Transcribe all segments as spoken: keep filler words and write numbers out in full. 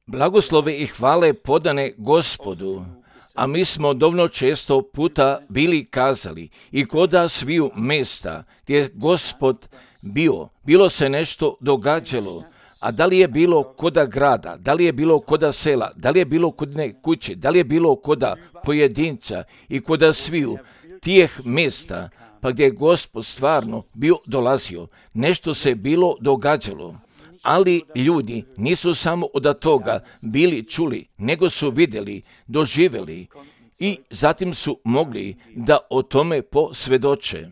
Blagoslove i hvale podane Gospodu, a mi smo dovoljno često puta bili kazali i koda sviju mesta gdje je Gospod bio, bilo se nešto događalo, a da li je bilo koda grada, da li je bilo koda sela, da li je bilo kod ne kuće, da li je bilo koda pojedinca i koda sviju tih mesta, pa gdje je Gospod stvarno bio dolazio, nešto se bilo događalo. Ali ljudi nisu samo od toga bili čuli, nego su vidjeli, doživjeli i zatim su mogli da o tome posvjedoče.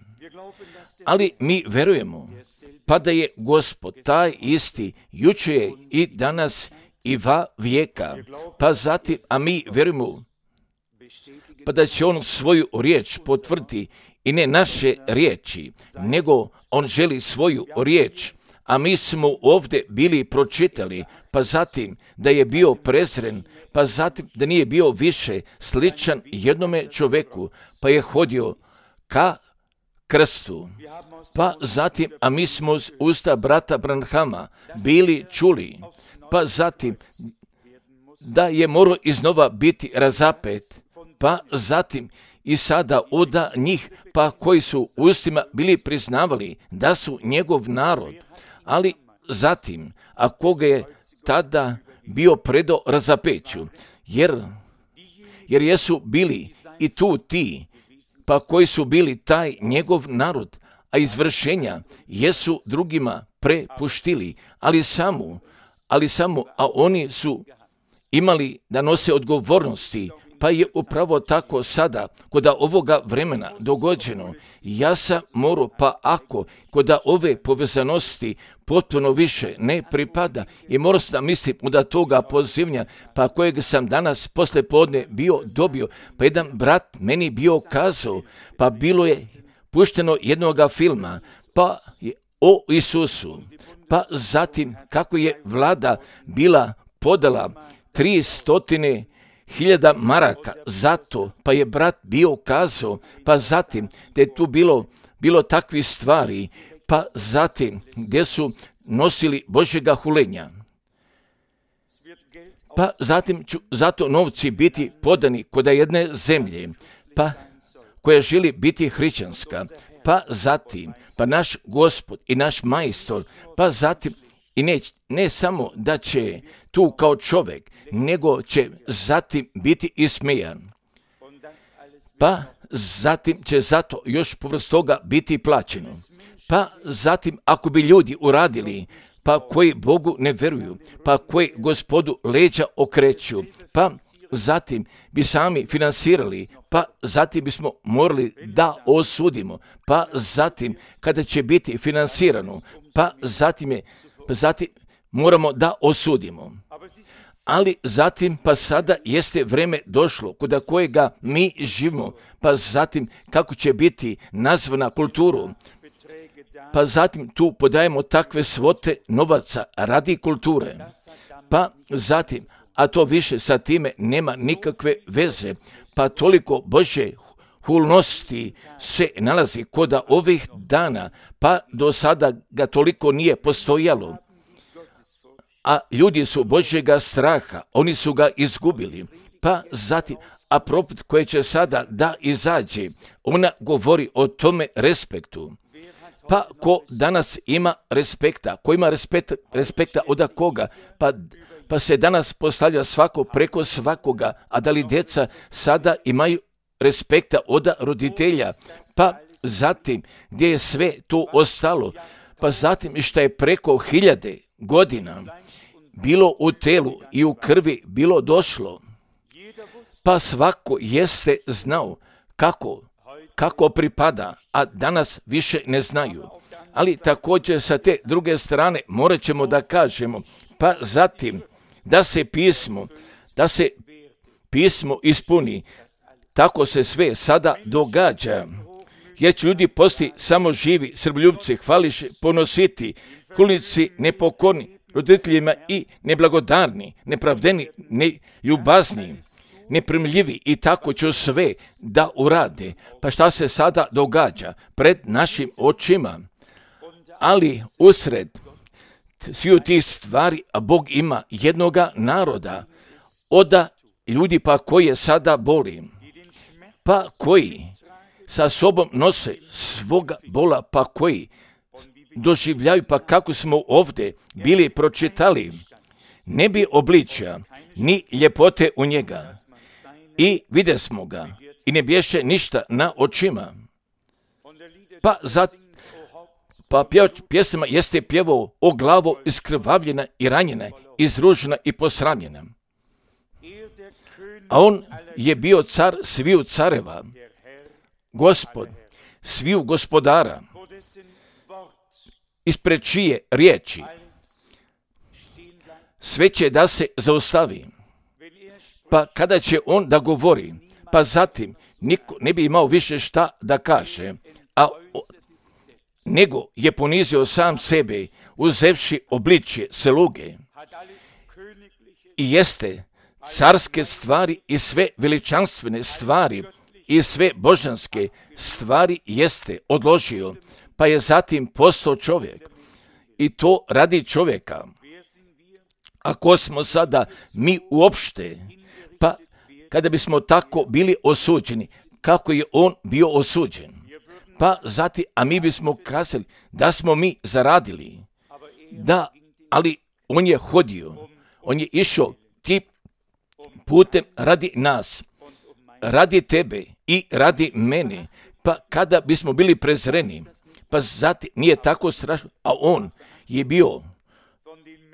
Ali mi verujemo, pa da je Gospod taj isti jučer i danas i va vijeka, pa zatim, a mi verujemo, pa da će on svoju riječ potvrditi i ne naše riječi, nego on želi svoju riječ. A mi smo ovdje bili pročitali, pa zatim da je bio prezren, pa zatim da nije bio više sličan jednome čovjeku, pa je hodio ka krstu. Pa zatim, a mi smo uz usta brata Branhama bili čuli, pa zatim da je morao iznova biti razapet, pa zatim i sada od njih, pa koji su ustima bili priznavali da su njegov narod, ali zatim, a koga je tada bio predo razapeću, jer, jer jesu bili i tu ti, pa koji su bili taj njegov narod, a izvršenja jesu drugima prepuštili, ali samo, ali samo, a oni su imali da nose odgovornosti, pa je upravo tako sada, kod ovoga vremena dogođeno. Ja sam morao, pa ako kod ove povezanosti potpuno više ne pripada i morao sam da mislim da toga pozivnja, pa kojeg sam danas posle podne bio dobio, pa jedan brat meni bio kazao, pa bilo je pušteno jednoga filma, pa je o Isusu, pa zatim kako je vlada bila podala tri stotine hiljada maraka, zato pa je brat bio kazao, pa zatim da je tu bilo, bilo takvi stvari, pa zatim gdje su nosili Božjega hulenja. Pa zatim ću zato novci biti podani kod jedne zemlje, pa koja želi biti hrišćanska, pa zatim, pa naš Gospod i naš majstor, pa zatim i ne, ne samo da će tu kao čovjek, nego će zatim biti ismejan. Pa zatim će zato još povrst toga biti plaćeno. Pa zatim ako bi ljudi uradili, pa koji Bogu ne veruju, pa koji Gospodu leđa okreću, pa zatim bi sami finansirali, pa zatim bismo morali da osudimo, pa zatim kada će biti finansirano, pa zatim je Pa zatim moramo da osudimo. Ali zatim, pa sada jeste vreme došlo kod kojega mi živimo, pa zatim kako će biti nazvana kulturu, pa zatim tu podajemo takve svote novaca radi kulture, pa zatim, a to više sa time nema nikakve veze, pa toliko Božje hulnosti se nalazi kod ovih dana, pa do sada ga toliko nije postojalo. A ljudi su Božjega straha, oni su ga izgubili. Pa zatim, a profet koji će sada da izađe, ona govori o tome respektu. Pa ko danas ima respekta, ko ima respekt, respekta od koga, pa, pa se danas postavlja svako preko svakoga, a da li djeca sada imaju respekta od roditelja, pa zatim gdje je sve to ostalo, pa zatim što je preko hiljade godina bilo u telu i u krvi bilo došlo, pa svako jeste znao kako, kako pripada, a danas više ne znaju. Ali također sa te druge strane morat ćemo da kažemo, pa zatim da se pismo, da se pismo ispuni. Tako se sve sada događa, jer će ljudi posti samo živi, srboljubci, hvališe, ponositi, hulnici, nepokorni, roditeljima i neblagodarni, nepravdeni, neljubazni, neprimljivi i tako će sve da urade. Pa šta se sada događa pred našim očima? Ali usred sviju tih stvari, a Bog ima jednoga naroda, oda ljudi pa koje sada boli, pa koji sa sobom nose svoga bola, pa koji doživljaju, pa kako smo ovdje bili pročitali, ne bi obličja ni ljepote u njega i vide smo ga i ne bješe ništa na očima. Pa za pa pjevač pjesama jeste pjevao o glavo iskrvavljena i ranjena, izružena i posramljena. A on je bio car sviju careva, Gospod sviju gospodara, ispred čije riječi sve će da se zaustavi. Pa kada će on da govori, pa zatim niko ne bi imao više šta da kaže, a nego je ponizio sam sebe, uzevši obličje sluge. I jeste carske stvari i sve veličanstvene stvari i sve božanske stvari jeste odložio, pa je zatim postao čovjek. I to radi čovjeka. Ako smo sada mi uopšte, pa kada bismo tako bili osuđeni, kako je on bio osuđen, pa zatim, a mi bismo kazali da smo mi zaradili, da, ali on je hodio, on je išao tim putem radi nas, radi tebe i radi mene, pa kada bismo bili prezreni, pa zatim nije tako strašno, a on je bio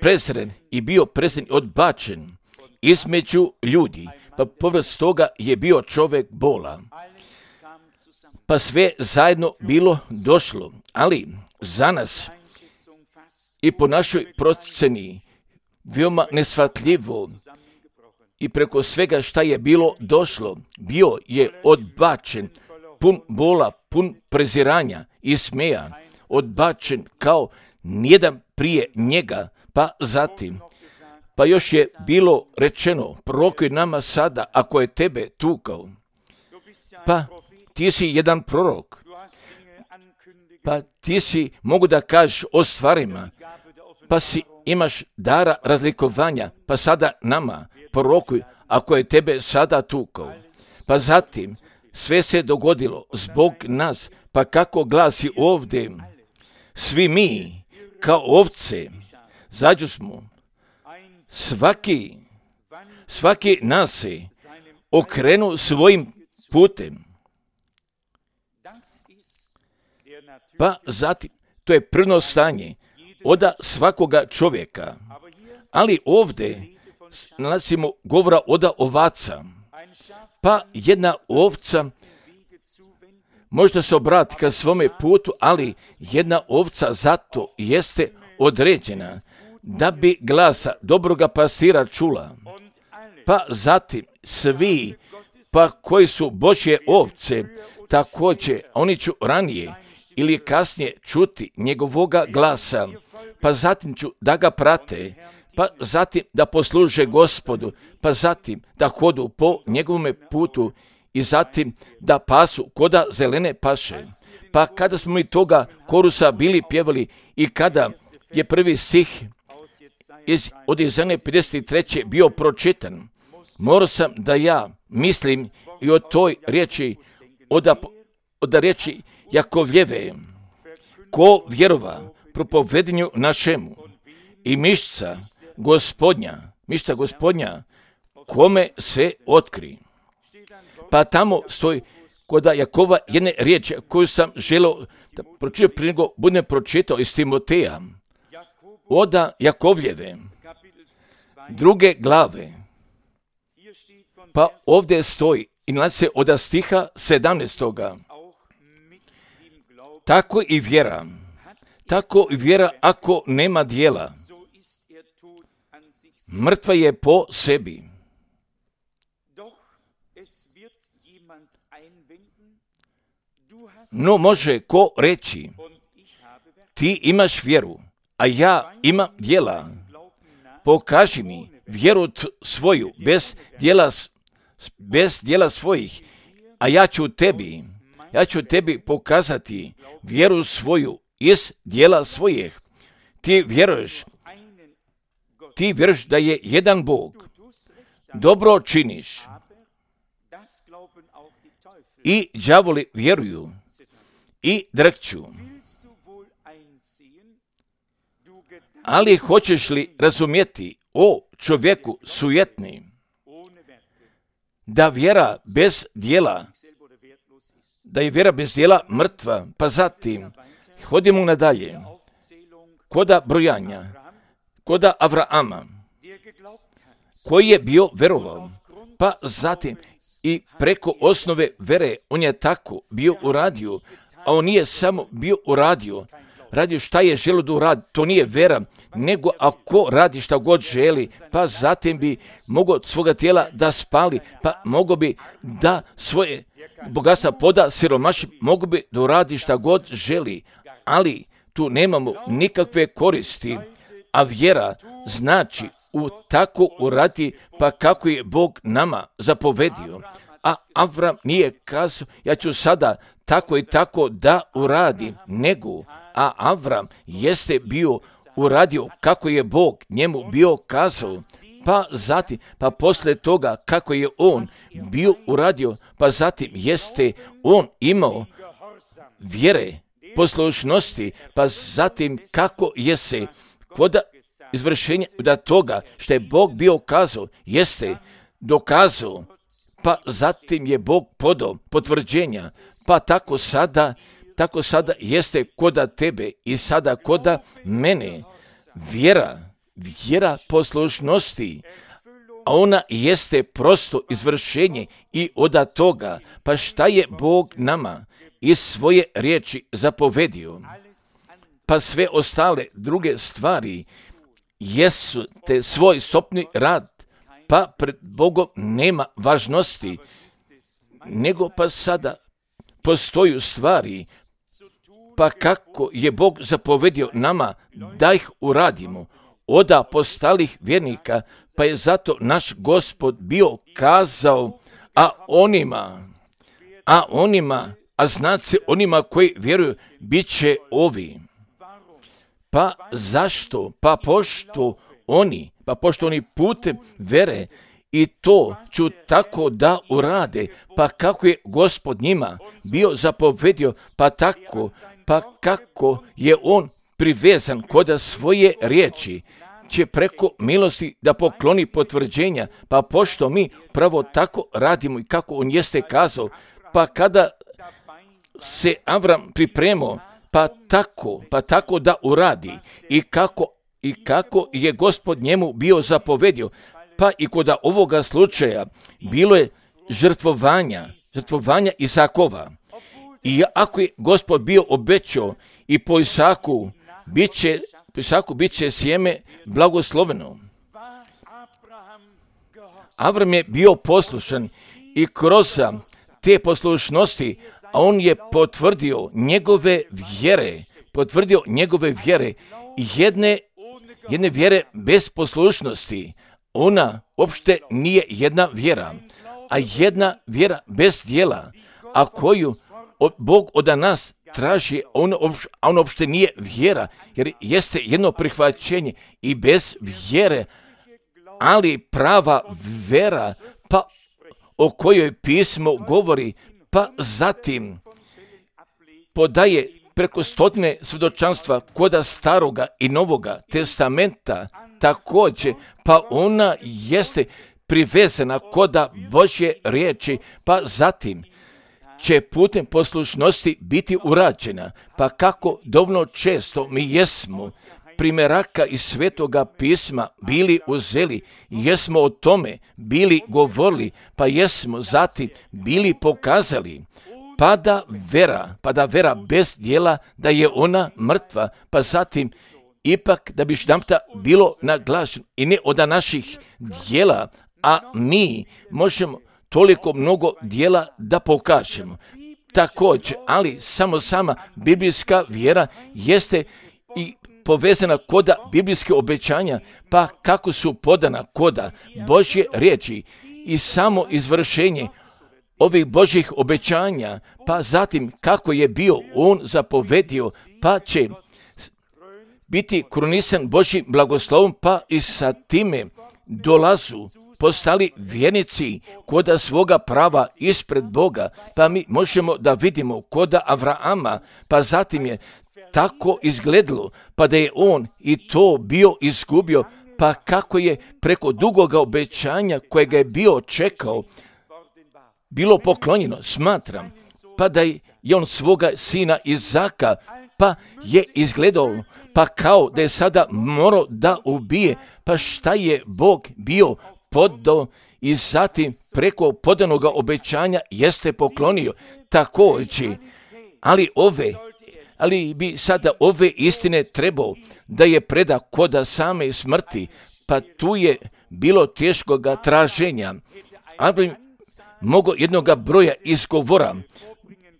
prezren i bio prezren odbačen između ljudi, pa povrst toga je bio čovjek bola. Pa sve zajedno bilo došlo, ali za nas i po našoj proceni veoma nesvatljivo i preko svega šta je bilo došlo, bio je odbačen, pun bola, pun preziranja i smeja, odbačen kao nijedan prije njega, pa zatim. Pa još je bilo rečeno, prorokuj nama sada ako je tebe tukao. Pa ti si jedan prorok, pa ti si, mogu da kažeš o stvarima, pa si imaš dara razlikovanja, pa sada nama prorokuj ako je tebe sada tukao. Pa zatim sve se dogodilo zbog nas, pa kako glasi ovdje, svi mi kao ovce zađu smo, svaki, svaki nas se okrenu svojim putem. Pa zatim, to je prvno stanje oda svakoga čovjeka. Ali ovdje nalazimo govora oda ovaca. Pa jedna ovca možda se obrati ka svome putu, ali jedna ovca zato jeste određena da bi glasa dobroga pastira čula. Pa zatim svi, pa koji su Božje ovce, također oni ću ranije ili kasnije čuti njegovoga glasa, pa zatim ću da ga prate, pa zatim da posluže Gospodu, pa zatim da hodu po njegovome putu i zatim da pasu koda zelene paše. Pa kada smo mi toga korusa bili pjevali i kada je prvi stih iz, od Izaije pedeset treće bio pročitan, morao sam da ja mislim i o toj riječi, od, od riječi Jakovljeve, ko vjerova propovedanju našemu i mišca Gospodnja, mišca Gospodnja, kome se otkri. Pa tamo stoji kod Jakova jedne riječi koju sam želio da pročitam prije nego budem pročitao iz Timoteja, oda Jakovljeve, druge glave. Pa ovdje stoji i nalazi se od stiha sedamnaestoga. Tako i vjera, tako i vjera ako nema dijela, mrtva je po sebi. No može ko reći, ti imaš vjeru, a ja imam djela. Pokaži mi vjeru svoju bez djela, bez djela svojih, a ja ću tebi, ja ću tebi pokazati vjeru svoju iz djela svojih. Ti vjeruješ ti vjeruješ da je jedan Bog. Dobro činiš. I đavoli vjeruju i drhću. Ali hoćeš li razumjeti, o čovjeku sujetni, da vjera bez djela, da je vjera bez djela mrtva, pa zatim hodimo nadalje, koda brojanja, koda Avrama, koji je bio verovao, pa zatim i preko osnove vere on je tako bio uradio, a on nije samo bio uradio, radio šta je želio da uradi, to nije vera, nego ako radi šta god želi, pa zatim bi mogao od svoga tijela da spali, pa mogao bi da svoje bogatstva poda siromaši, mogao bi da uradi šta god želi, ali tu nemamo nikakve koristi, a vjera znači u tako uradi, pa kako je Bog nama zapovedio. A Avram nije kazao, ja ću sada tako i tako da uradi, nego, a Avram jeste bio uradio kako je Bog njemu bio kazao, pa zatim, pa posle toga kako je on bio uradio, pa zatim jeste on imao vjere, poslušnosti, pa zatim kako je se kod izvršenja da toga što je Bog bio kazao, jeste dokazao, pa zatim je Bog podao potvrđenja, pa tako sada, tako sada jeste koda tebe i sada koda mene. Vjera, vjera poslušnosti, a ona jeste prosto izvršenje i od toga, pa šta je Bog nama iz svoje riječi zapovedio, pa sve ostale druge stvari jesu te svoj sopni rad, pa pred Bogom nema važnosti, nego pa sada postoju stvari, pa kako je Bog zapovedio nama da ih uradimo, od apostolih vjernika, pa je zato naš Gospod bio kazao, a onima, a onima, a znat se onima koji vjeruju, bit će ovi. Pa zašto? Pa pošto oni, pa pošto oni putem vere i to ću tako da urade, pa kako je Gospod njima bio zapovedio, pa tako, pa kako je on privezan kod svoje riječi, će preko milosti da pokloni potvrđenja, pa pošto mi pravo tako radimo i kako on jeste kazao, pa kada se Avram pripremao, pa tako, pa tako da uradi i kako, i kako je Gospod njemu bio zapovedio, pa i kod ovoga slučaja bilo je žrtvovanja, žrtvovanja Isakova. I ako je Gospod bio obećao i po Isaku bit će, po Isaku bit će sjeme blagosloveno. Avram je bio poslušan i kroz te poslušnosti, a on je potvrdio njegove vjere, potvrdio njegove vjere, jedne, jedne vjere bez poslušnosti. Ona uopšte nije jedna vjera, a jedna vjera bez djela, a koju od, Bog od nas traži, ona on uopšte nije vjera, jer jeste jedno prihvaćenje i bez vjere, ali prava vjera, pa o kojoj pismo govori, pa zatim podaje preko stotine svjedočanstva koda staroga i novoga testamenta također, pa ona jeste privezana koda Božje riječi, pa zatim će putem poslušnosti biti urađena, pa kako dovoljno često mi jesmo primjeraka iz Svetoga pisma bili uzeli, jesmo o tome bili govorili, pa jesmo zatim bili pokazali, pa da vera, pa da vera bez djela da je ona mrtva, pa zatim ipak da bi štamta bilo naglašeno i ne od naših djela, a mi možemo toliko mnogo djela da pokažemo. Također, ali samo sama biblijska vjera jeste i povezana koda biblijske obećanja, pa kako su podana koda Božje riječi i samo izvršenje ovih Božjih obećanja, pa zatim kako je bio on zapovedio, pa će biti krunisan Božjim blagoslovom, pa i sa time dolazu postali vjernici koda svoga prava ispred Boga, pa mi možemo da vidimo koda Avrama, pa zatim je tako izgledalo, pa da je on i to bio izgubio, pa kako je preko dugoga obećanja kojega je bio čekao, bilo poklonjeno, smatram, pa da je on svoga sina Izaka, pa je izgledao, pa kao da je sada morao da ubije, pa šta je Bog bio podao i zatim preko podanoga obećanja jeste poklonio također, ali ove, ali bi sada ove istine trebao da je preda koda same smrti, pa tu je bilo teškoga traženja, ali mogo jednoga broja izgovora,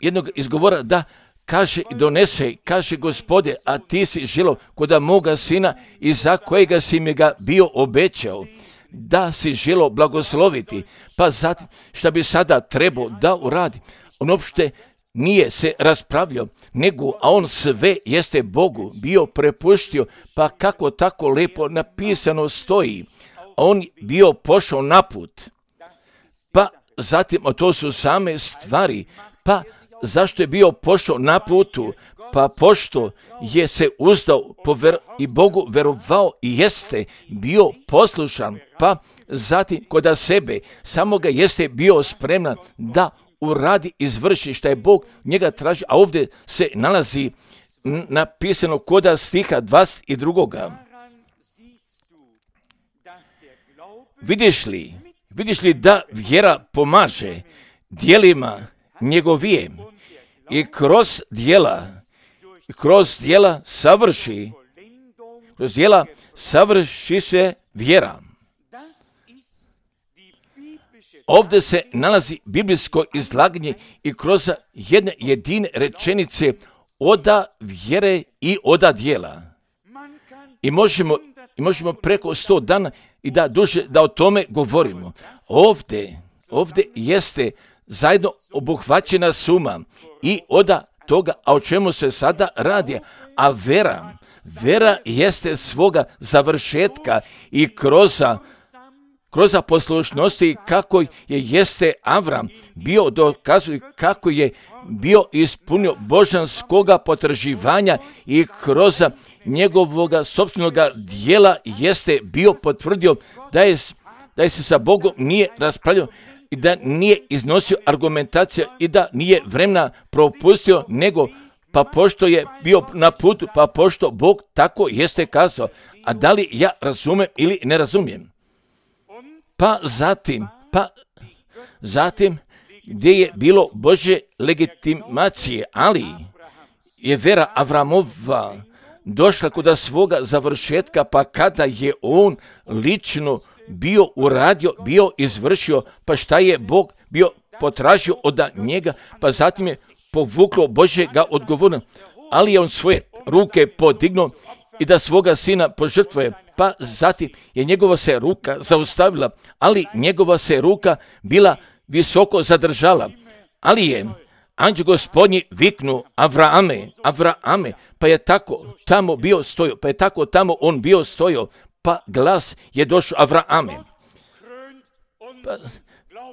jednog izgovora da kaže i donese, kaže Gospode, a ti si želo koda moga sina i za kojega si mi ga bio obećao, da si želo blagosloviti, pa zatim šta bi sada trebao da uradi. On uopšte nije se raspravljao, nego, a on sve jeste Bogu bio prepuštio, pa kako tako lepo napisano stoji, a on bio pošao na put, pa zatim, a to su same stvari, pa zašto je bio pošao na putu? Pa pošto je se uzdao pover- i Bogu verovao i jeste bio poslušan, pa zatim koda sebe samoga jeste bio spreman da uradi, izvrši šta je Bog njega traži, a ovdje se nalazi napisano koda stiha dvadeset dva. Vidiš li, vidiš li da vjera pomaže djelima njegovije i kroz djela, kroz djela savrši, kroz djela savrši se vjera. Ovdje se nalazi biblijsko izlaganje i kroz jedne jedine rečenice oda vjere i oda djela. I možemo, i možemo preko sto dana i da duže da o tome govorimo. Ovdje, ovdje jeste zajedno obuhvaćena suma i oda toga, a o čemu se sada radi, a vera, vera jeste svoga završetka i kroz kroz poslušnosti kako je jeste Avram bio dokazuje kako je bio ispunio božanskoga potraživanja i kroz njegovoga sopstvenoga djela jeste bio potvrdio da je, da je se sa Bogom nije raspravljao i da nije iznosio argumentacija i da nije vremena propustio, nego pa pošto je bio na putu, pa pošto Bog tako jeste kazao, a da li ja razumijem ili ne razumijem? Pa zatim, pa zatim gdje je bilo Božje legitimacije, ali je vera Avramova došla kod svoga završetka, pa kada je on lično bio uradio, bio izvršio, pa šta je Bog bio potražio od njega, pa zatim je povuklo Božjega odgovora, ali je on svoje ruke podignuo i da svoga sina požrtvuje, pa zatim je njegova se ruka zaustavila, ali njegova se ruka bila visoko zadržala, ali je anđeo Gospodnji viknu Avrame, Avrame, pa je tako tamo bio stojao, pa je tako tamo on bio stojao, pa glas je došao Avrame. Pa,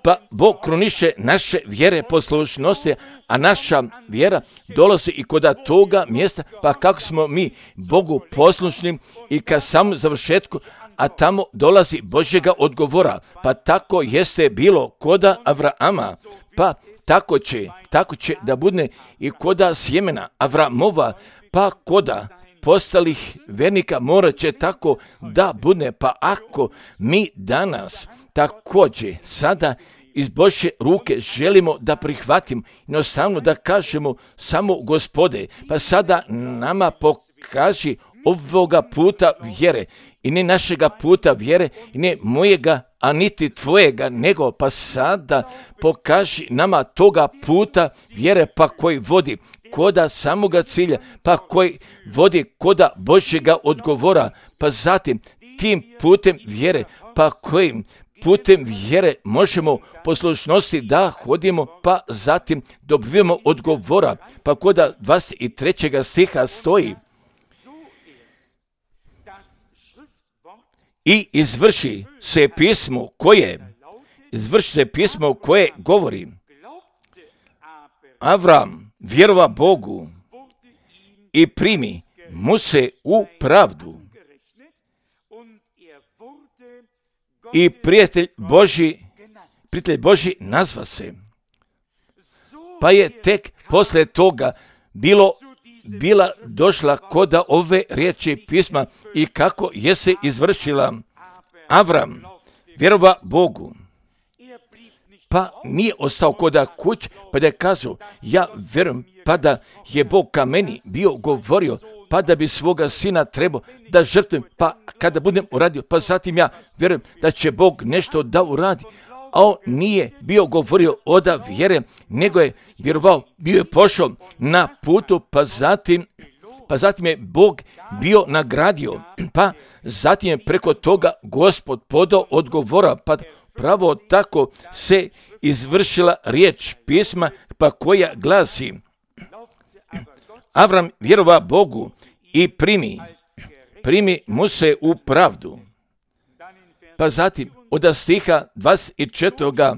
pa Bog kruniše naše vjere poslušnosti, a naša vjera dolazi i kod toga mjesta, pa kako smo mi Bogu poslušni i ka samom završetku, a tamo dolazi Božjega odgovora, pa tako jeste bilo koda Avrama, pa tako će, tako će da bude i koda sjemena Avramova, pa koda postalih vernika morat će tako da bude, pa ako mi danas također sada iz Božje ruke želimo da prihvatimo, jednostavno da kažemo samo Gospode, pa sada nama pokaži ovoga puta vjere i ne našega puta vjere i ne mojega, a niti tvojega, nego pa sada pokaži nama toga puta vjere, pa koji vodi koda samoga cilja, pa koji vodi koda Božjega odgovora, pa zatim tim putem vjere, pa kojim putem vjere možemo poslušnosti da hodimo, pa zatim dobivamo odgovora, pa koda dvadeset trećeg stiha stoji. i izvrši se pismo koje, izvrši se pismo koje govori. Avram vjerova Bogu i primi mu se u pravdu. I prijatelj Božji, prijatelj Božji nazva se. Pa je tek posle toga bilo, bila došla koda ove riječi pisma i kako je se izvršila. Avram vjerova Bogu. Pa nije ostao koda kuć, pa da je kazao, ja vjerujem, pa da je Bog ka meni bio govorio, pa da bi svoga sina trebao da žrtvujem, pa kada budem uradio, pa zatim ja vjerujem da će Bog nešto da uradi. A on nije bio govorio oda vjere, nego je vjerovao, bio je pošao na putu, pa zatim, pa zatim je Bog bio nagradio, pa zatim je preko toga Gospod podao odgovora, pa pravo tako se izvršila riječ pisma, pa koja glasi: Avram vjerova Bogu i primi, primi mu se u pravdu. Pa zatim od stiha dvadeset četvrtog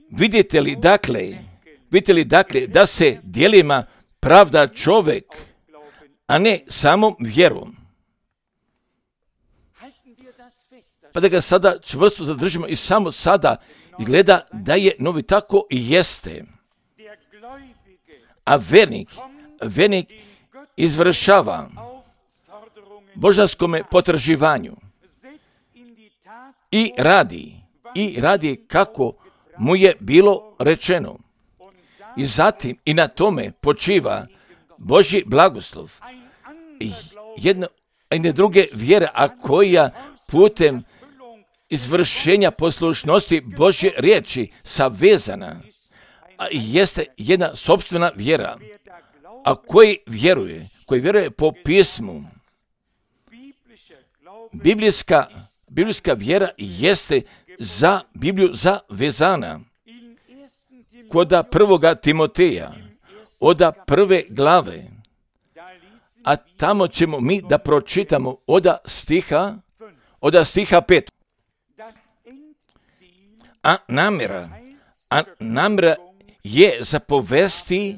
vidite li dakle, vidite li dakle da se djelima pravda čovjek, a ne samom vjerom. Pa da ga sada čvrsto zadržimo i samo sada izgleda da je novi tako i jeste. A vernik, vernik izvršava božanskome potraživanju i radi, i radi kako mu je bilo rečeno. I zatim i na tome počiva Božji blagoslov. Jedna, jedne druge vjere, a koja putem izvršenja poslušnosti Božje riječi savezana, a jeste jedna sopstvena vjera, a koji vjeruje, koji vjeruje po pismu. Biblijska, biblijska vjera jeste za Bibliju zavezana. Koda prvoga Timoteja, oda prve glave, a tamo ćemo mi da pročitamo oda stiha, oda stiha pet. A namjera, a namjera je zapovesti,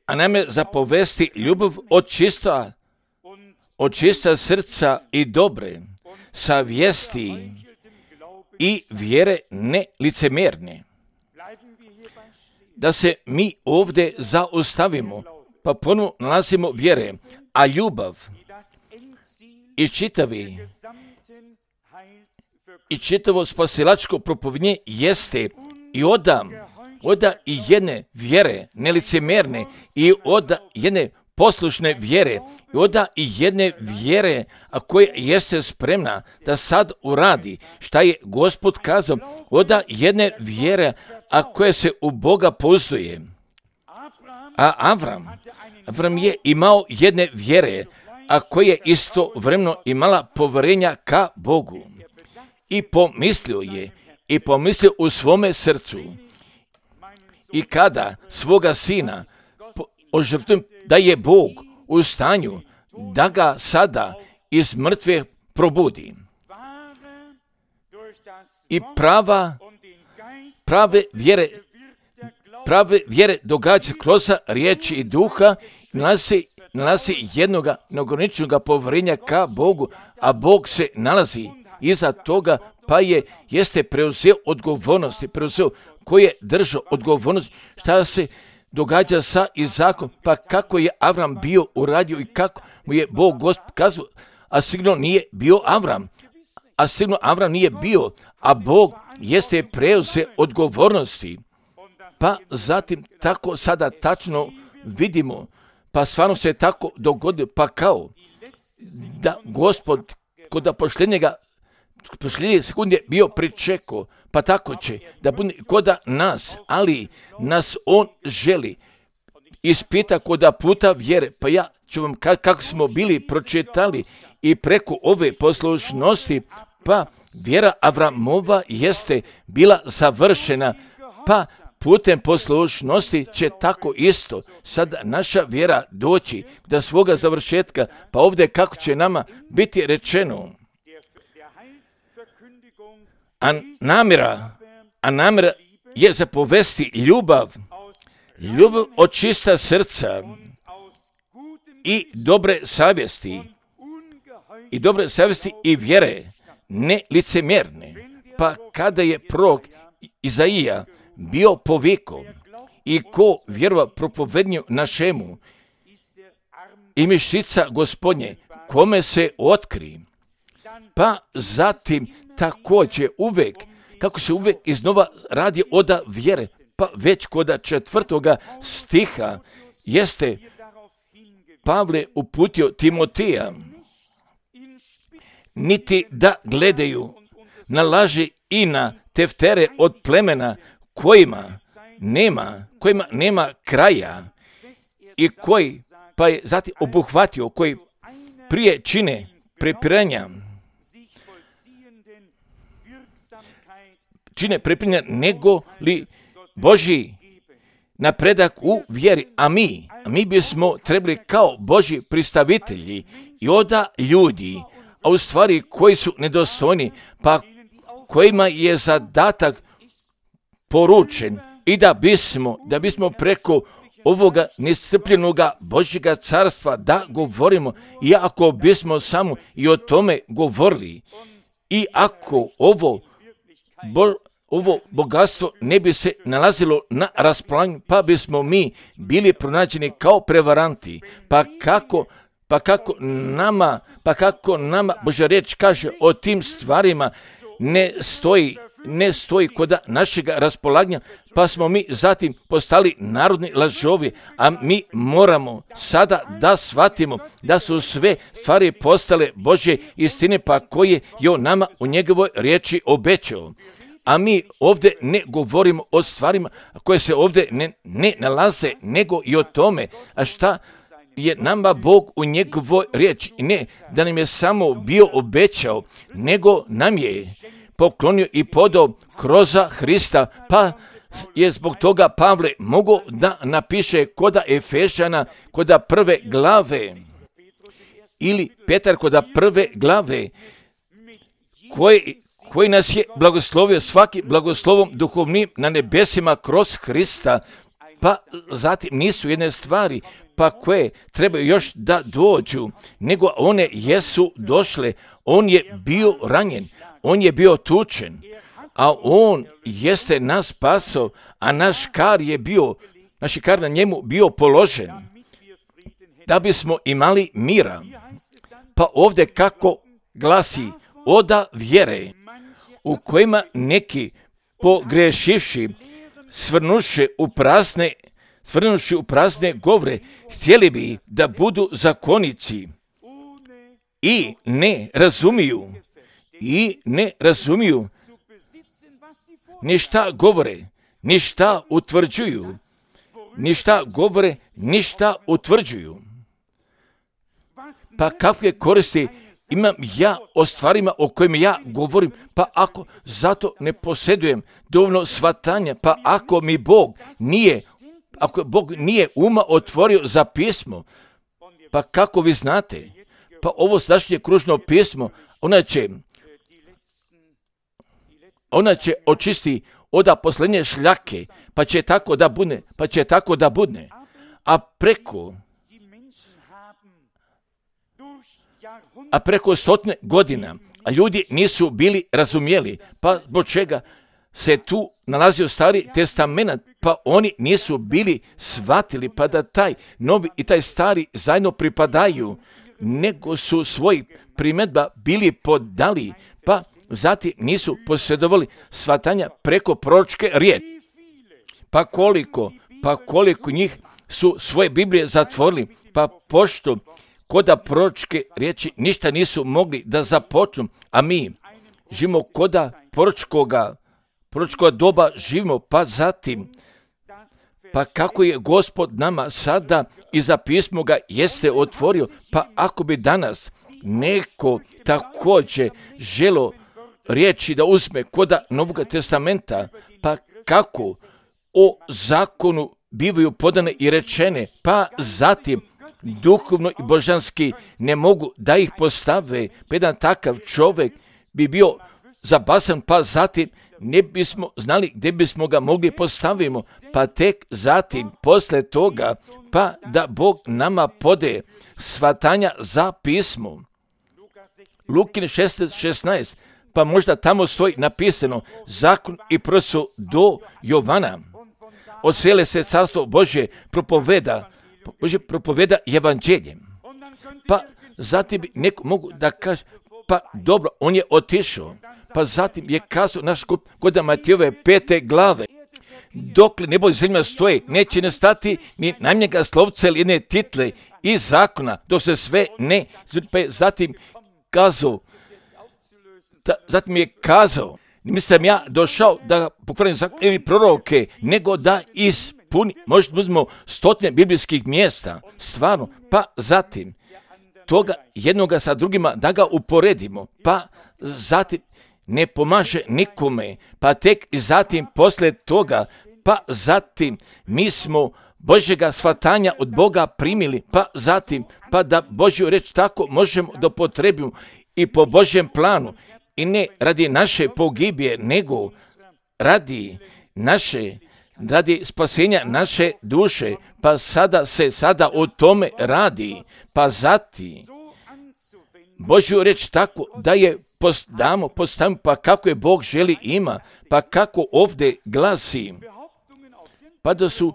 a namjera zapovesti ljubav od čista, od čista srca i dobre savjesti i vjere nelicemjerne. Da se mi ovdje zaustavimo, pa ponovno nalazimo vjere, a ljubav i čitavi i čitavo spasilačko propovjednje jeste i oda, oda i jedne vjere nelicemjerne i oda jedne poslušne vjere i oda i jedne vjere, a koja jeste spremna da sad uradi šta je Gospod kazao, oda jedne vjere, a koja se u Boga pouzduje. A Avram, Avram je imao jedne vjere, a koja je istovremeno imala povjerenja ka Bogu. I pomislio je, i pomislio u svome srcu. I kada svoga sina ožrtvujem, da je Bog u stanju da ga sada iz mrtve probudi. I prava, prave vjere, prave vjere događa kroz riječi i duha, nalazi, nalazi jednoga neograničenog povjerenja ka Bogu, a Bog se nalazi iza toga, pa je, jeste preuzeo odgovornosti, preuzeo koji je držao odgovornost, šta se događa sa Izakom, pa kako je Avram bio uradio i kako mu je Bog Gospod kazao, a sigurno nije bio Avram, a sigurno Avram nije bio, a Bog jeste preuzeo odgovornosti, pa zatim tako sada tačno vidimo, pa stvarno se tako dogodilo, pa kao da Gospod kod pošljenjega posljednje sekunde bio pričekao, pa tako će da bude koda nas, ali nas on želi ispita koda puta vjere. Pa ja ću vam kako smo bili pročitali i preko ove poslušnosti, pa vjera Avramova jeste bila završena, pa putem poslušnosti će tako isto sada naša vjera doći do svoga završetka, pa ovdje kako će nama biti rečeno. A namjera, a namjera je zapovesti ljubav, ljubav od čista srca i dobre savjesti, i dobre savjesti i vjere, ne licemjerne. Pa kada je prorok Izaija bio povikao i ko vjerova propovednju našemu i mišica Gospodnje, kome se otkri, pa zatim također uvijek, kako se uvijek iznova radi oda vjere, pa već kod četvrtoga stiha jeste Pavle uputio Timotija, niti da gledaju na laži i na teftere od plemena kojima nema, kojima nema kraja i koji, pa je zatim obuhvatio, koji prije čine prepiranja, čine prepiranja nego li Božji napredak u vjeri, a mi, a mi bismo trebali kao Božji pristavitelji i oda ljudi, a u stvari koji su nedostojni, pa kojima je zadatak poručen i da bismo, da bismo preko ovoga nescrpljenoga Božjega carstva da govorimo, i ako bismo samo i o tome govorili, i ako ovo, bo, ovo bogatstvo ne bi se nalazilo na raspolaganju, pa bismo mi bili pronađeni kao prevaranti, pa kako Pa kako nama, pa kako nama Božja riječ kaže o tim stvarima ne stoji, ne stoji kod našeg raspolaganja, pa smo mi zatim postali narodni lažovi, a mi moramo sada da shvatimo da su sve stvari postale Božje istine, pa koje je on nama u njegovoj riječi obećao. A mi ovdje ne govorimo o stvarima koje se ovdje ne, ne nalaze, nego i o tome, a šta je nama Bog u njegovoj riječi. I ne da nam je samo bio obećao, nego nam je poklonio i podao kroz Hrista, pa je zbog toga Pavle mogao da napiše koda Efešana, koda prve glave, ili Petar koda prve glave, koji, koji nas je blagoslovio svakim blagoslovom duhovnim na nebesima kroz Hrista, pa zatim nisu jedne stvari, pa koje trebaju još da dođu, nego one jesu došle. On je bio ranjen, on je bio tučen, a on jeste nas spasao, a naš kar je bio, naš kar na njemu bio položen, da bismo imali mira. Pa ovdje kako glasi, oda vjere, u kojima neki pogrešivši, svrnuše u prazne, svrnuši u prazne govore, htjeli bi da budu zakonici i ne razumiju, i ne razumiju ništa govore, ništa utvrđuju, ništa govore, ništa utvrđuju. Pa kakve koristi imam ja o stvarima o kojima ja govorim, pa ako zato ne posjedujem dovoljno shvatanja, pa ako mi Bog nije, ako Bog nije uma otvorio za pismo, pa kako vi znate, pa ovo sadašnje kružno pismo, ona će, ona će očisti oda posljednje šljake, pa će tako da budne, pa će tako da budne, a preko a preko stotine godina, a ljudi nisu bili razumjeli, pa zbog čega se tu nalazio Stari testament, pa oni nisu bili shvatili, pa da taj novi i taj stari zajedno pripadaju, nego su svoj primjedba bili podali, pa zatim nisu posjedovali shvatanja preko proročke riječi. Pa koliko, pa koliko njih su svoje Biblije zatvorili, pa pošto koda proročke riječi ništa nisu mogli da započnu, a mi živimo koda proročkoga, proročkoga doba živimo, pa zatim, pa kako je Gospod nama sada i za pismo ga jeste otvorio, pa ako bi danas neko također želo riječi da uzme koda Novog testamenta, pa kako o zakonu bivaju podane i rečene, pa zatim duhovno i božanski ne mogu da ih postave, pa jedan takav čovjek bi bio zabasan, pa zatim ne bismo znali gdje bismo ga mogli postavimo, pa tek zatim posle toga, pa da Bog nama pode shvatanja za pismo. Lukin šesnaest šesnaest, pa možda tamo stoji napisano zakon i prosu do Jovana. Od cijele se carstvo Božje propoveda, Božje propoveda evanđeljem. Pa zatim bi neko mogu da kaže, pa dobro, on je otišao. Pa zatim je kazao naš kod Matijove pete glave. Dokle nebo i zemlja stoje, neće ne stati ni najmnjega slovca ili jedne title i zakona, dok se sve ne, pa je zatim kazao, da, zatim je kazao, nisam ja došao da pokvarim zakon ili proroke, nego da ispuni, možda uzmemo stotine biblijskih mjesta, stvarno, pa zatim toga jednoga sa drugima da ga uporedimo, pa zatim ne pomaže nikome, pa tek i zatim posle toga, pa zatim mi smo Božjega shvatanja od Boga primili, pa zatim, pa da Božju reč tako možemo da potrebimo i po Božjem planu, i ne radi naše pogibije, nego radi naše, radi spasenja naše duše, pa sada se sada o tome radi, pa zatim Božju reč tako da je post, damo, postavimo, pa kako je Bog želi ima, pa kako ovdje glasi, pa da su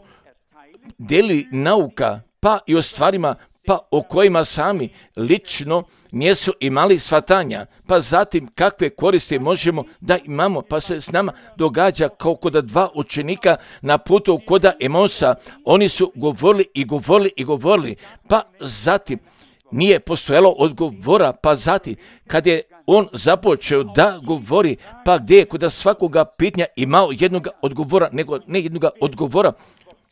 deli nauka, pa i o stvarima, pa o kojima sami lično nisu imali shvatanja, pa zatim kakve koristi možemo da imamo, pa se s nama događa kao kod dva učenika na putu kod Emausa, oni su govorili i govorili i govorili, pa zatim nije postojalo odgovora, pa zatim kad je on započeo da govori, pa gdje je kod svakoga pitanja imao jednog odgovora, nego ne jednog odgovora,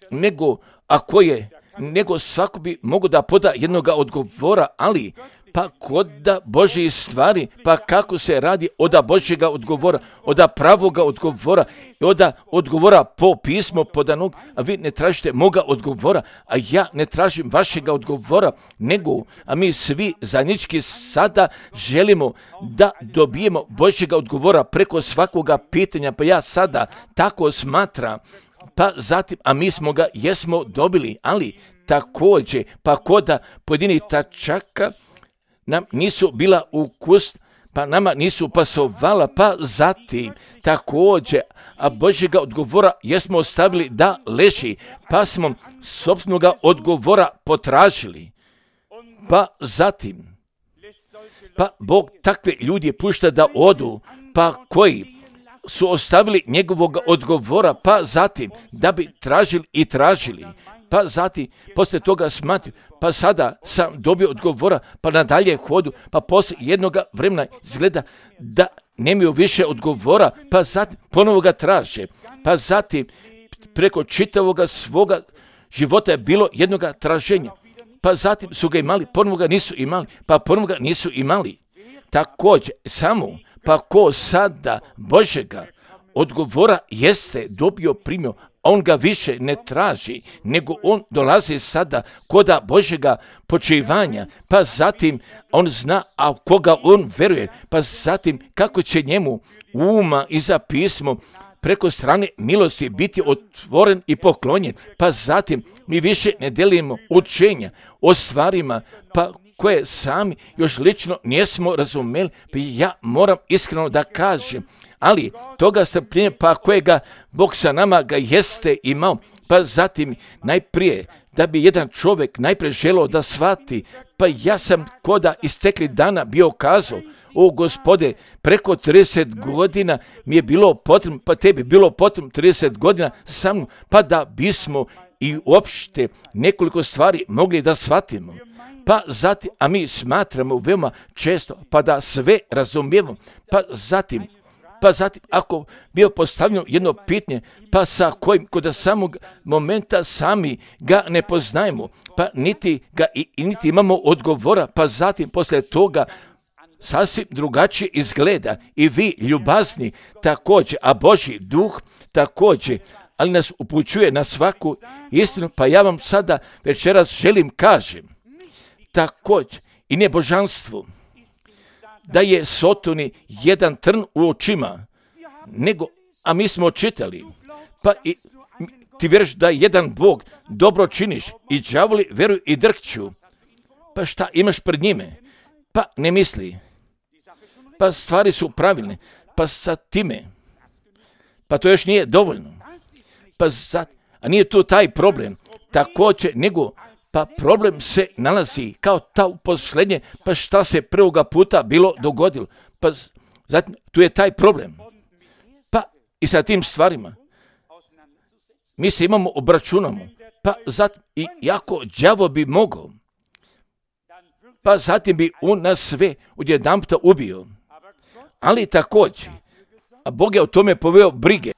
nego ako je, nego svako bi mogo da poda jednog odgovora, ali pa kod da Božje stvari, pa kako se radi od Božjega odgovora, od pravoga odgovora i od odgovora po pismu podanog, a vi ne tražite moga odgovora, a ja ne tražim vašega odgovora, nego, a mi svi zajednički sada želimo da dobijemo Božjega odgovora preko svakoga pitanja, pa ja sada tako smatram, pa zatim, a mi smo ga jesmo dobili, ali također, pa koda pojedini tačaka nam nisu bila ukus, pa nama nisu pasovala, pa zatim također, a Božjega odgovora jesmo ostavili da leži, pa smo sopstvenoga odgovora potražili, pa zatim, pa Bog takve ljudi pušta da odu, pa koji su ostavili njegovog odgovora, pa zatim da bi tražili i tražili, pa zatim poslije toga smatio, pa sada sam dobio odgovora, pa nadalje hodu, pa poslije jednog vremena izgleda da nemaju više odgovora, pa zatim ponovo ga traže, pa zatim preko čitavoga svoga života je bilo jednog traženja, pa zatim su ga imali, ponovo ga nisu imali, pa ponovo ga nisu imali. Također, samo pa ko sada Božjega odgovora jeste dobio, primio, on ga više ne traži, nego on dolazi sada koda Božjega počivanja, pa zatim on zna, a koga on veruje, pa zatim kako će njemu uma i za pismo preko strane milosti biti otvoren i poklonjen, pa zatim mi više ne delimo učenja o stvarima, pa koje sami još lično nismo razumeli, pa ja moram iskreno da kažem, ali toga strpljenja, pa kojega Bog sa nama ga jeste imao, pa zatim najprije da bi jedan čovjek najprije želeo da shvati, pa ja sam koda istekli dana bio kazao, o Gospode, preko trideset godina mi je bilo potrebno, pa tebi bilo potrebno trideset godina sa mnom, pa da bismo i uopšte nekoliko stvari mogli da shvatimo. Pa zatim, a mi smatramo veoma često, pa da sve razumijemo, pa zatim, pa zatim, ako bio postavljeno jedno pitanje, pa sa kojim kod samog momenta sami ga ne poznajemo, pa niti ga i, i niti imamo odgovora, pa zatim posle toga sasvim drugačije izgleda i vi ljubazni također, a Božji duh također, ali nas upućuje na svaku istinu, pa ja vam sada večeras želim kažem, također i nebožanstvu, da je Sotoni jedan trn u očima, nego, a mi smo čitali, pa i ti vjeruješ da jedan Bog dobro činiš i đavoli vjeruju i drhću, pa šta imaš pred njime? Pa ne misli, pa stvari su pravilne, pa sa time, pa to još nije dovoljno, pa za, a nije tu taj problem, također nego, pa problem se nalazi kao ta posljednje, pa šta se prvoga puta bilo dogodilo, pa zatim tu je taj problem, pa i sa tim stvarima, mi se imamo obračunamo, pa zatim i jako đavo bi mogao, pa zatim bi on nas sve odjedanputa ubio, ali također, a Bog je o tome poveo brige,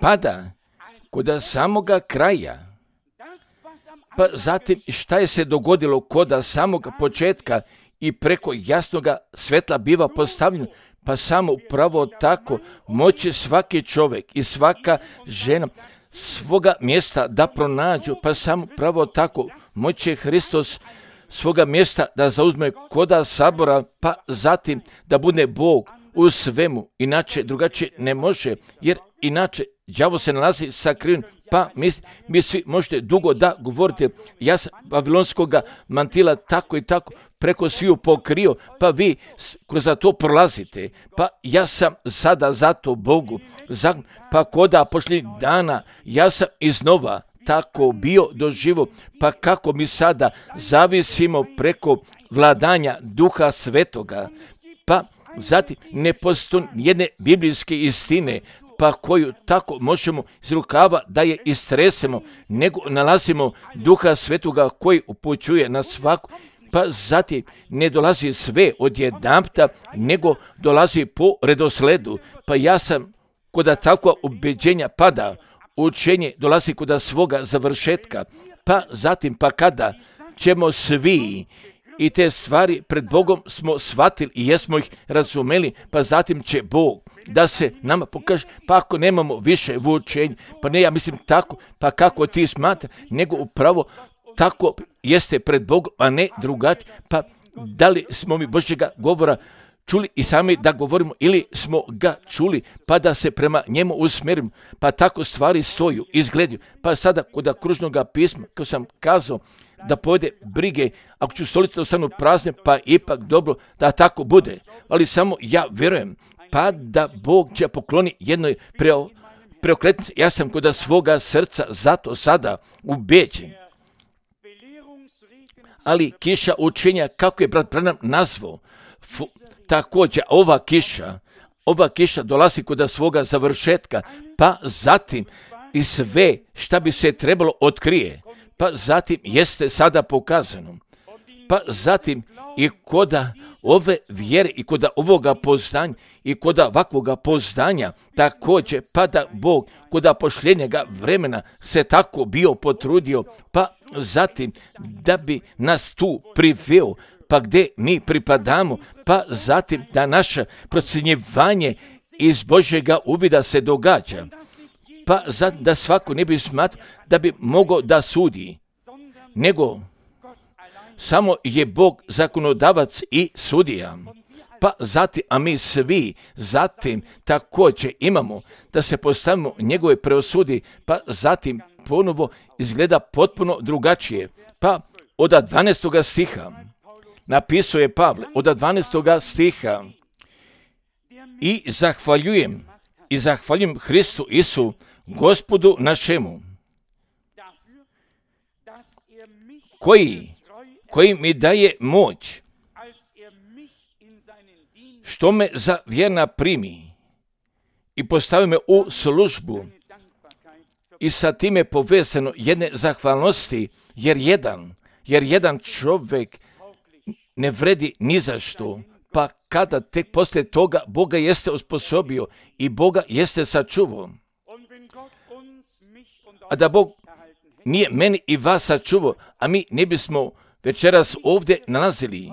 pa da, kod samoga kraja, pa zatim šta je se dogodilo kod samoga početka i preko jasnoga svetla biva postavljeno, pa samo upravo tako moće svaki čovjek i svaka žena svoga mjesta da pronađu, pa samo upravo tako moće Hristos svoga mjesta da zauzme koda sabora, pa zatim da bude Bog u svemu, inače drugačije ne može, jer inače đavo se nalazi sakriven, pa mi, mi svi možete dugo da govorite, ja sam babilonskog mantila tako i tako preko sviju pokrio, pa vi kroz to prolazite, pa ja sam sada zato Bogu, za, pa koda pošlih dana ja sam iznova tako bio doživo, pa kako mi sada zavisimo preko vladanja Duha Svetoga, pa zatim ne postoji jedne biblijske istine, pa koju tako možemo iz rukava da je istresemo, nego nalazimo Duha Svetoga koji upućuje na svaku, pa zatim ne dolazi sve odjedanputa, nego dolazi po redosledu, pa ja sam koda takva ubeđenja pada, učenje dolazi kod svoga završetka, pa zatim pa kada ćemo svi i te stvari pred Bogom smo shvatili i jesmo ih razumeli, pa zatim će Bog da se nama pokaže, pa ako nemamo više vučenja, pa ne ja mislim tako, pa kako ti smatra, nego upravo tako jeste pred Bogom, a ne drugačije, pa da li smo mi Božjega govora čuli i sami da govorimo ili smo ga čuli pa da se prema njemu usmjerimo, pa tako stvari stoju, izgledaju, pa sada kod kružnog pisma, kao sam kazao, da povede brige, ako ću stolice ostanu prazne, pa ipak dobro da tako bude, ali samo ja vjerujem, pa da Bog će pokloni jednoj preo, preokretnici, ja sam kod svoga srca zato sada ubeđen. Ali kiša učenja, kako je brat Branham nazvao, fu, također ova kiša, ova kiša dolazi kod svoga završetka, pa zatim i sve šta bi se trebalo otkrije, pa zatim jeste sada pokazano, pa zatim i koda ove vjere i koda ovoga poznanja i koda ovakvoga poznanja također, pa da Bog koda pošljenjega vremena se tako bio potrudio, pa zatim da bi nas tu priveo, pa gdje mi pripadamo, pa zatim da naše procjenjivanje iz Božjega uvida se događa, pa zatim da svako ne bi smatrao da bi mogao da sudi, nego samo je Bog zakonodavac i sudija, pa zatim, a mi svi zatim također imamo da se postavimo njegove preosudi, pa zatim ponovo izgleda potpuno drugačije, pa od dvanaestoga stiha napisao je Pavle, od dvanaestoga stiha, i zahvaljujem, i zahvaljujem Hristu Isu, Gospodu našemu, koji, koji mi daje moć, što me za vjerna primi i postavi me u službu, i sa time povezano jedne zahvalnosti, jer jedan, jer jedan čovjek ne vredi ni za što, pa kada tek poslije toga Boga jeste osposobio i Boga jeste sačuvao. A da Bog nije meni i vas sačuvao, a mi ne bismo večeras ovdje nalazili,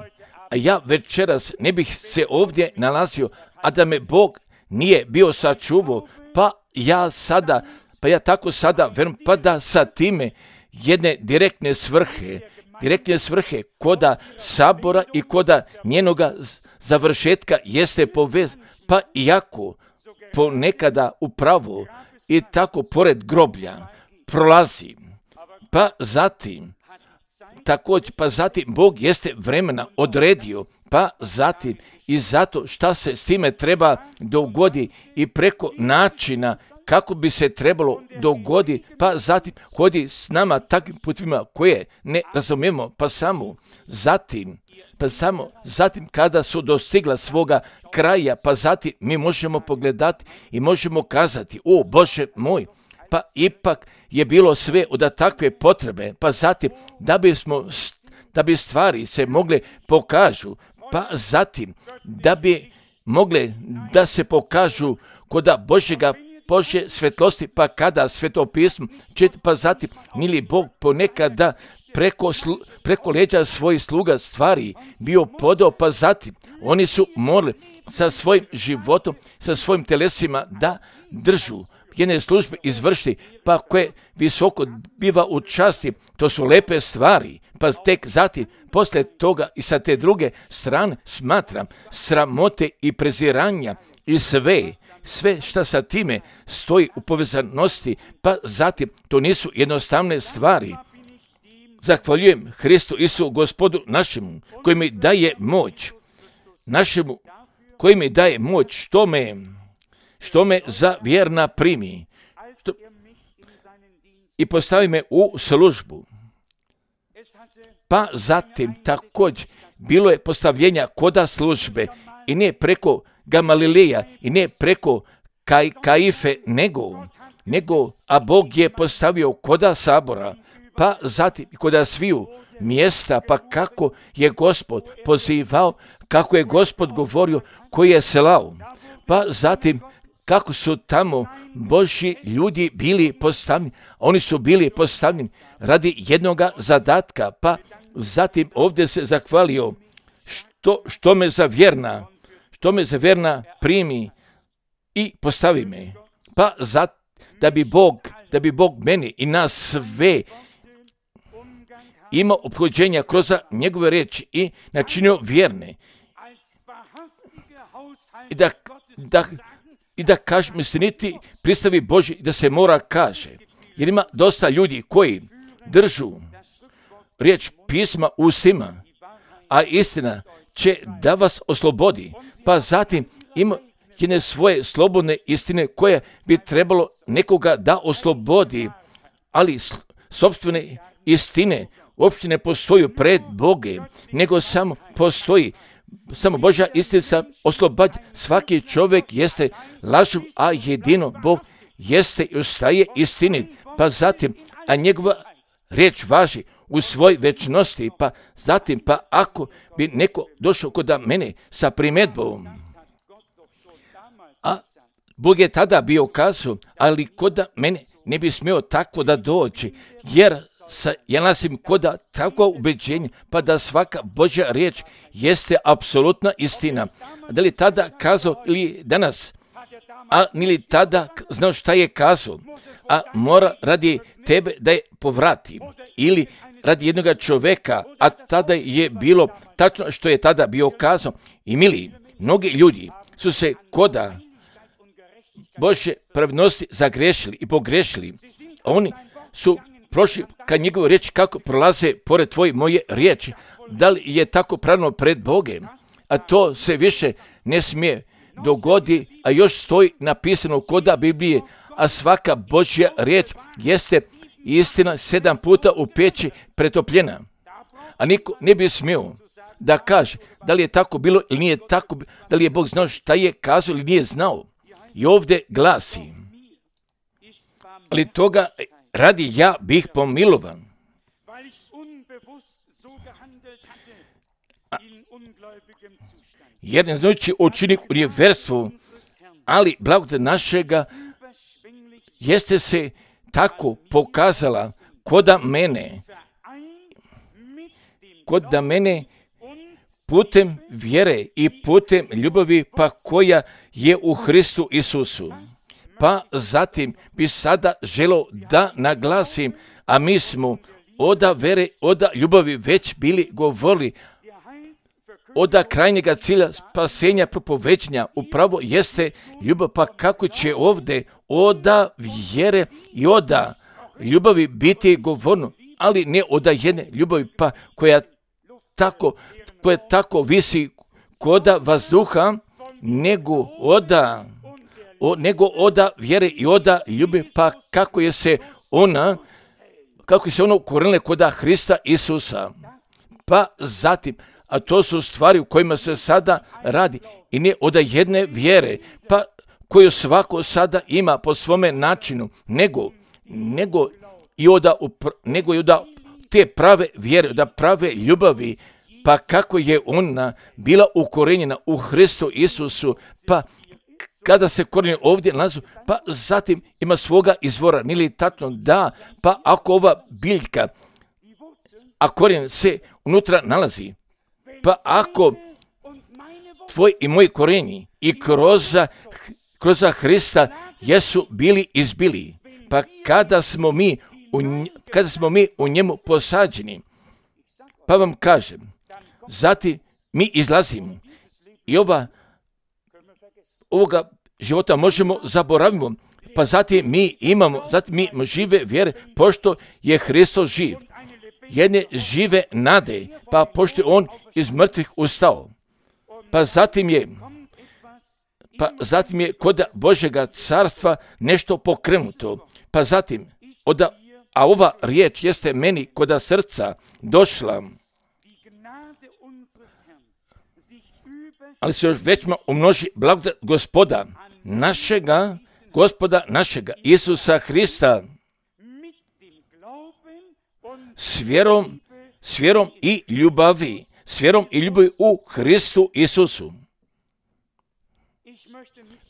a ja večeras ne bih se ovdje nalazio, a da me Bog nije bio sačuvao, pa ja sada, pa ja tako sada verujem, pa da sa time jedne direktne svrhe, direktne svrhe koda sabora i koda njenoga završetka jeste povez, pa iako ponekada upravo i tako pored groblja prolazi, pa zatim također, pa zatim Bog jeste vremena odredio, pa zatim i zato šta se s time treba dogodi i preko načina kako bi se trebalo dogodi, pa zatim hodi s nama takvim putvima koje ne razumijemo, pa samo zatim, pa samo zatim kada su dostigla svoga kraja, pa zatim mi možemo pogledati i možemo kazati, o Bože moj, pa ipak je bilo sve od takve potrebe, pa zatim da bismo, da bi stvari se mogle pokažu, pa zatim da bi mogle da se pokažu koda Božjega Božje svetlosti, pa kada svetopismo čita, pa zatim nili Bog ponekada preko, slu, preko leđa svojih sluga stvari bio podao, pa zatim oni su morali sa svojim životom, sa svojim telesima da držu jedne službe izvršiti, pa koje visoko biva u časti, to su lepe stvari, pa tek zatim, posle toga i sa te druge strane smatram sramote i preziranja i sve, sve šta sa time stoji u povezanosti, pa zatim to nisu jednostavne stvari. Zahvaljujem Hristu Isu, Gospodu našemu, koji mi daje moć, našemu, koji mi daje moć, što me što me za vjerna primi što, i postavi me u službu. Pa zatim također bilo je postavljenja koda službe i ne preko Gamalileja i ne preko Kaj, Kaife, nego, nego, a Bog je postavio koda sabora, pa zatim koda sviju mjesta, pa kako je Gospod pozivao, kako je Gospod govorio, koji je slao, pa zatim kako su tamo Božji ljudi bili postavljeni, oni su bili postavljeni radi jednoga zadatka, pa zatim ovdje se zahvalio što, što me za vjerna, što me za vjerna primi i postavi me, pa za, da bi Bog, da bi Bog meni i nas sve imao ophođenja kroz njegove riječi i načinio vjerne. I da, da I da kaže, misliniti, pristavi Božji, da se mora kaže. Jer ima dosta ljudi koji držu riječ pisma u ustima, a istina će da vas oslobodi. Pa zatim ima jedne svoje slobodne istine koje bi trebalo nekoga da oslobodi, ali sopstvene istine uopšte ne postoju pred Boge, nego samo postoji Samo Božja istina oslobađa. Svaki čovjek jeste lažov, a jedino Bog jeste i ostaje istinit. Pa zatim, a njegova riječ važi u svoj večnosti. Pa zatim, pa ako bi neko došao kod mene sa primjedbom, a Bog je tada bio kazao, ali kod mene ne bi smio tako da doći, jer Sa, ja nasim koda takvo ubeđenje, pa da svaka Božja riječ jeste apsolutna istina. Da li tada kazao ili danas, a nili tada znao šta je kazao, a mora radi tebe da je povrati, ili radi jednoga čoveka, a tada je bilo tačno što je tada bio kazao. I mili, mnogi ljudi su se koda Božje pravednosti zagrešili i pogrešili. Oni su prošli kad njegove riječi kako prolaze pored tvoje moje riječi. Da li je tako pravno pred Bogem? A to se više ne smije dogodi, a još stoji napisano koda Biblije, a svaka Božja riječ jeste istina sedam puta u peći pretopljena. A niko ne bi smio da kaže da li je tako bilo ili nije tako, da li je Bog znao šta je kazao ili nije znao. I ovdje glasi, ali toga radi ja bih pomilovan. A, jer ne znajući učinik u nevjerstvu, ali blagodat našega jeste se tako pokazala koda mene, koda mene putem vjere i putem ljubavi, pa koja je u Hristu Isusu. Pa zatim bi sada želio da naglasim, a mi smo oda vere, oda ljubavi već bili govorili, oda krajnjega cilja spasenja propoveđenja upravo jeste ljubav, pa kako će ovdje oda vjere i oda ljubavi biti govorno, ali ne oda jedne ljubavi, pa koja tako, koja tako visi koda vazduha, nego oda, o, nego oda vjere i oda ljubavi, pa kako je se ona, kako je se ono ukorenila koda Hrista Isusa. Pa zatim, a to su stvari u kojima se sada radi i ne od jedne vjere, pa koju svako sada ima po svome načinu, nego, nego i od nego i od te prave vjere, da prave ljubavi, pa kako je ona bila ukorenjena u Hristu Isusu, pa kada se korenje ovdje nalazi, pa zatim ima svoga izvora, nili tačno da, pa ako ova biljka, a korijen se unutra nalazi, pa ako tvoj i moji korenji i kroz, kroz Hrista jesu bili izbili, pa kada smo mi u, kada smo mi u njemu posađeni, pa vam kažem, zatim mi izlazimo i ova, ovoga života možemo zaboravimo, pa zatim mi imamo, zatim mi imamo žive vjere, pošto je Hristos živ. Jedne žive nade, pa pošto je on iz mrtvih ustao. Pa zatim je, pa zatim je kod Božjega carstva nešto pokrenuto. Pa zatim, oda, a ova riječ jeste meni kod srca došla, ali se još većma umnoži blagodat Gospoda, našega, Gospoda našega, Isusa Hrista, s vjerom, s vjerom i ljubavi, s vjerom i ljubavi u Hristu Isusu.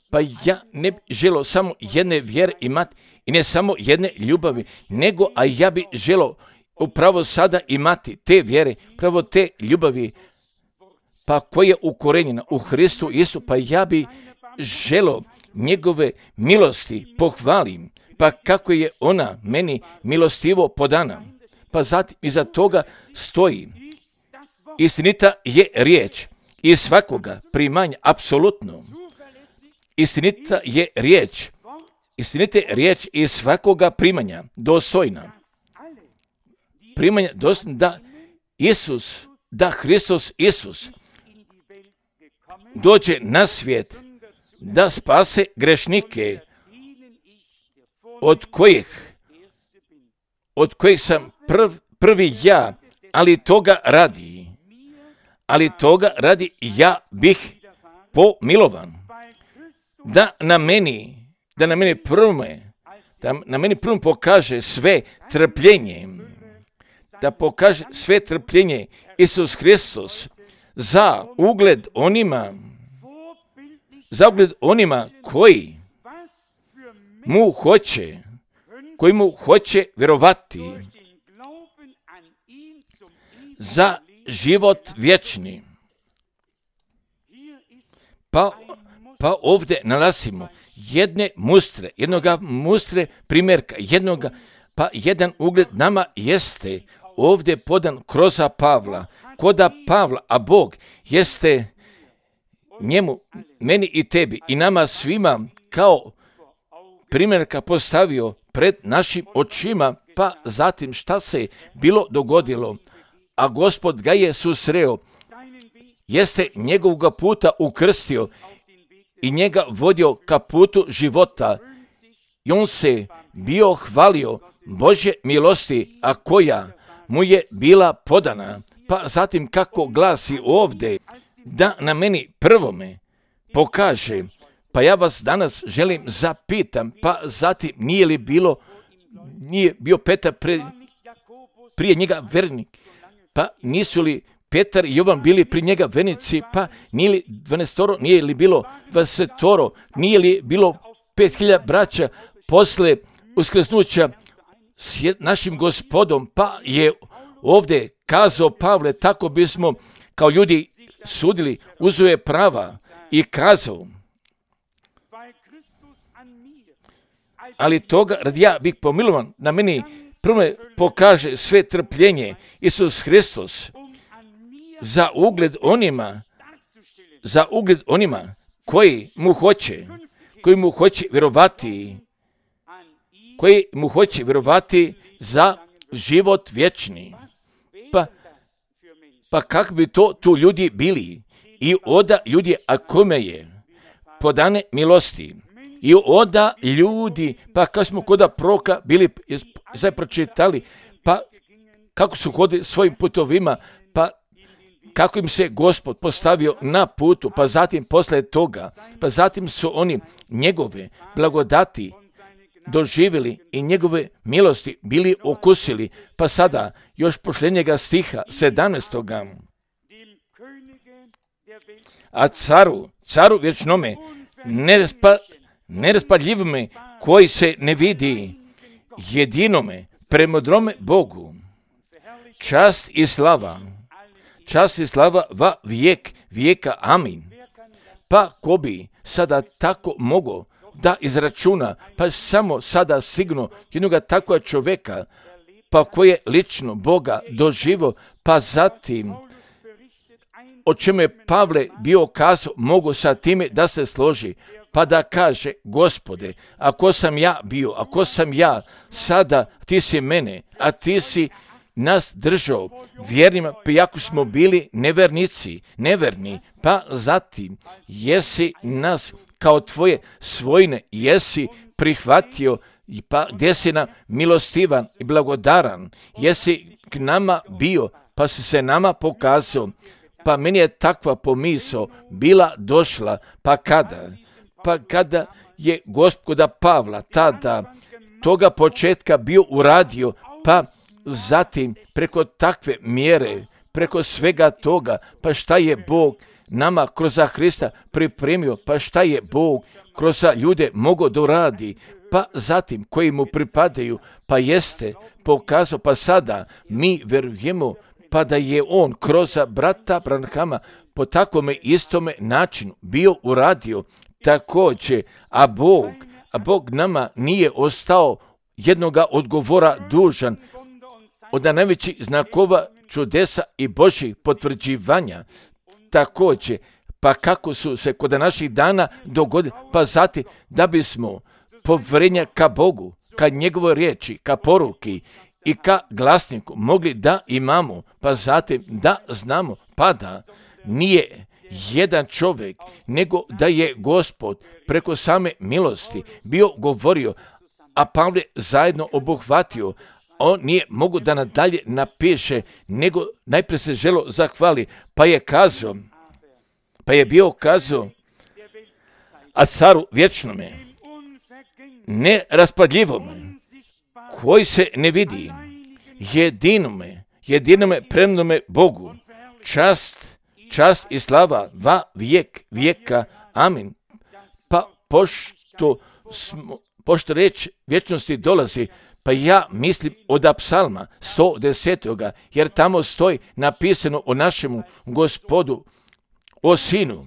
Pa ja ne bi želio samo jedne vjere imati i ne samo jedne ljubavi, nego a ja bi želio upravo sada imati te vjere, pravo te ljubavi, pa koja je ukorenjena u Hristu Isusu, pa ja bi želio njegove milosti pohvalim, pa kako je ona meni milostivo podana. Pa zatim iza toga stoji, istinita je riječ i svakoga primanja, apsolutno. Istinita je riječ, istinita je riječ i svakoga primanja, dostojna. Primanja dostojna da Isus, da Hristos Isus dođe na svijet, da spase grešnike, od kojih, od kojih sam prv, prvi ja, ali toga radi, ali toga radi ja bih pomilovan, da na meni, da na meni prve, da na meni prvom pokaže sve trpljenje, da pokaže sve trpljenje Isus Hristos za ugled onima, za ugled onima koji mu hoće, koji mu hoće vjerovati za život vječni. Pa, pa ovdje nalazimo jedne mustre, jednoga mustre primjerka, jednoga, pa jedan ugled nama jeste ovdje podan kroz Pavla, koda Pavla, a Bog jeste njemu, meni i tebi i nama svima kao primjerka postavio pred našim očima, pa zatim šta se bilo dogodilo, a Gospod ga je susreo, jeste njegovog puta ukrstio i njega vodio ka putu života i on se bio hvalio Božje milosti, a koja mu je bila podana. Pa zatim kako glasi ovdje, da na meni prvome pokaže, pa ja vas danas želim zapitam, pa zatim nije li bilo, nije bio Petar pre, prije njega vernik, pa nisu li Petar i Jovan bili pri njega vernici, pa nije li dvanaestoro, nije li bilo dvadesetoro, nije li bilo pet hiljada braća posle uskrsnuća s našim Gospodom, pa je ovdje kazao Pavle, tako bismo kao ljudi sudili, uzeo je prava i kazao, ali toga radi ja bih pomilovan, na meni prvo pokaže sve trpljenje Isus Hristos za ugled onima, za ugled onima koji mu hoće, koji mu hoće vjerovati, koji mu hoće vjerovati za život vječni. Pa, pa kak bi to tu ljudi bili? I oda ljudi, a kome je podane milosti. I oda ljudi, pa kad smo koda proka bili, sad pročitali, pa kako su hodili svojim putovima, pa kako im se Gospod postavio na putu, pa zatim posle toga, pa zatim su oni njegove blagodati doživjeli i njegove milosti bili okusili, pa sada još posljednjega stiha sedamnaestoga. A caru, caru vječnome, nerespa, neraspadljivome, koji se ne vidi, jedinome, premudrome Bogu, čast i slava, čast i slava va vijek vijeka, amin. Pa ko bi sada tako mogao da izračuna, pa samo sada sigurno jednoga takva čovjeka, pa koji je lično Boga doživo, pa zatim o čemu je Pavle bio kazao, mogu sa time da se složi, pa da kaže, Gospode, ako sam ja bio, ako sam ja sada, ti si mene, a ti si nas držao vjernima, pa jako smo bili nevernici, neverni, pa zatim jesi nas kao tvoje svojine, jesi prihvatio, pa gdje si nam milostivan i blagodaran, jesi k nama bio, pa si se nama pokazao, pa meni je takva pomisao bila došla, pa kada? Pa kada je Gospoda Pavla tada toga početka bio uradio, pa zatim preko takve mjere, preko svega toga, pa šta je Bog nama kroz Hrista pripremio, pa šta je Bog kroz ljude mogao da uradi, pa zatim koji mu pripadaju, pa jeste pokazao, pa sada mi verujemo, pa da je on kroz brata Branhama po takvome istome načinu bio uradio također, a Bog, a Bog nama nije ostao jednoga odgovora dužan od najvećih znakova, čudesa i Božjih potvrđivanja. Također, pa kako su se kod naših dana dogodili, pa zatim da bismo povjerenja ka Bogu, ka njegovoj riječi, ka poruki i ka glasniku mogli da imamo, pa zatim da znamo, pa da nije jedan čovjek, nego da je Gospod preko same milosti bio govorio, a Pavle zajedno obuhvatio. On nije mogu da nadalje napiše, nego najprije se želo zahvali, pa je kazao, pa je bio kazao, a caru vječnome, neraspadljivome, koji se ne vidi, jedinome, jedinome premnome Bogu, čast, čast i slava va vijek vijeka, amin. Pa pošto, smo, pošto reč vječnosti dolazi, pa ja mislim od psalma sto deset. jer tamo stoji napisano o našemu Gospodu, o Sinu,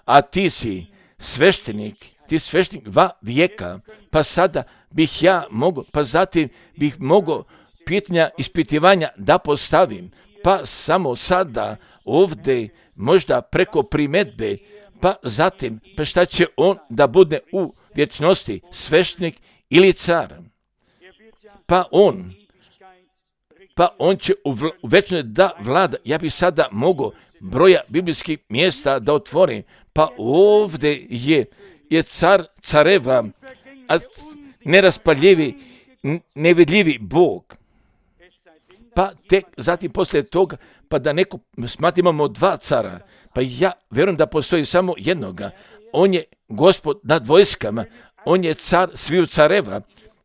a ti si sveštenik, ti sveštenik va vijeka, pa sada bih ja mogao, pa zatim bih mogao pitanja ispitivanja da postavim, pa samo sada ovdje možda preko primedbe, pa zatim, pa šta će on da bude u vječnosti, sveštenik ili car? Pa on, pa on će u, vl- u večnosti da vlada. Ja bi sada mogao broja biblijskih mjesta da otvorim, pa ovdje je, je car careva, a neraspaljivi, nevidljivi Bog. Pa tek zatim poslije toga, pa da neko smatra imamo dva cara, pa ja vjerujem da postoji samo jednoga. On je Gospod nad vojskama, on je car sviju careva.